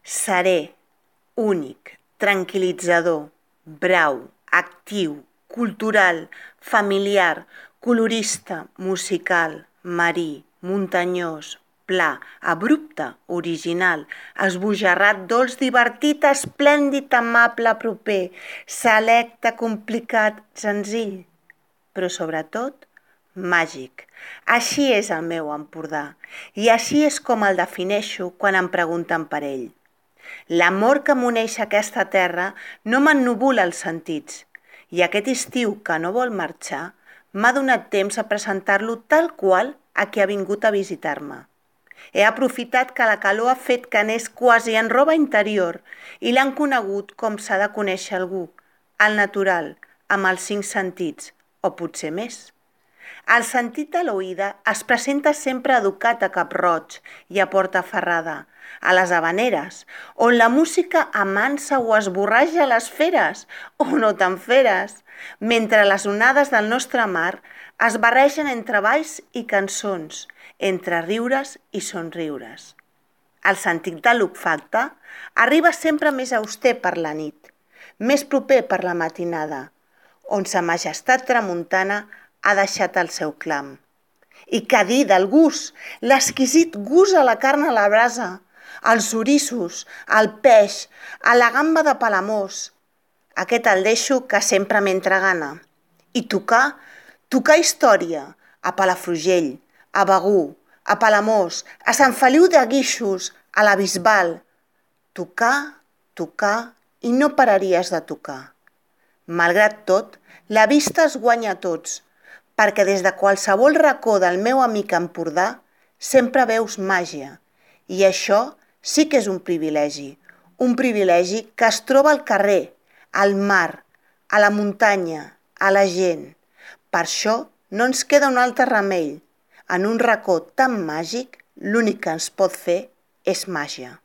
Serè, únic, tranquil·litzador, brau, actiu, cultural, familiar, colorista, musical, marí, muntanyós, pla, abrupte, original, esbojarrat, dolç, divertit, esplèndid, amable, proper, selecte, complicat, senzill, però sobretot màgic. Així és el meu Empordà i així és com el defineixo quan em pregunten per ell. L'amor que m'uneix a aquesta terra no m'ennubula els sentits i aquest estiu que no vol marxar m'ha donat temps a presentar-lo tal qual a qui ha vingut a visitar-me. He aprofitat que la calor ha fet que anés quasi en roba interior i l'han conegut com s'ha de conèixer algú, al natural, amb els 5 sentits, o potser més. El sentit de l'oïda es presenta sempre educat a Cap-roig i a Portaferrada, a les Havaneres, on la música amansa o esborratja les feres, o no tan feres, mentre les onades del nostre mar es barregen entre balls i cançons, entre riures i somriures. El sentit de l'olfacte arriba sempre més auster per la nit, més proper per la matinada, on sa majestat tramuntana ha deixat el seu clam. I què dir del gust, l'exquisit gust a la carn a la brasa, als orissos, al peix, a la gamba de Palamós. Aquest el deixo que sempre m'entra gana. I tocar història, a Palafrugell, a Begur, a Palamós, a Sant Feliu de Guíxols, a la Bisbal. Tocar i no pararies de tocar. Malgrat tot, la vista es guanya a tots, perquè des de qualsevol racó del meu amic Empordà sempre veus màgia. I això sí que és un privilegi que es troba al carrer, al mar, a la muntanya, a la gent. Per això no ens queda un altre remei. En un racó tan màgic, l'únic que ens pot fer és màgia.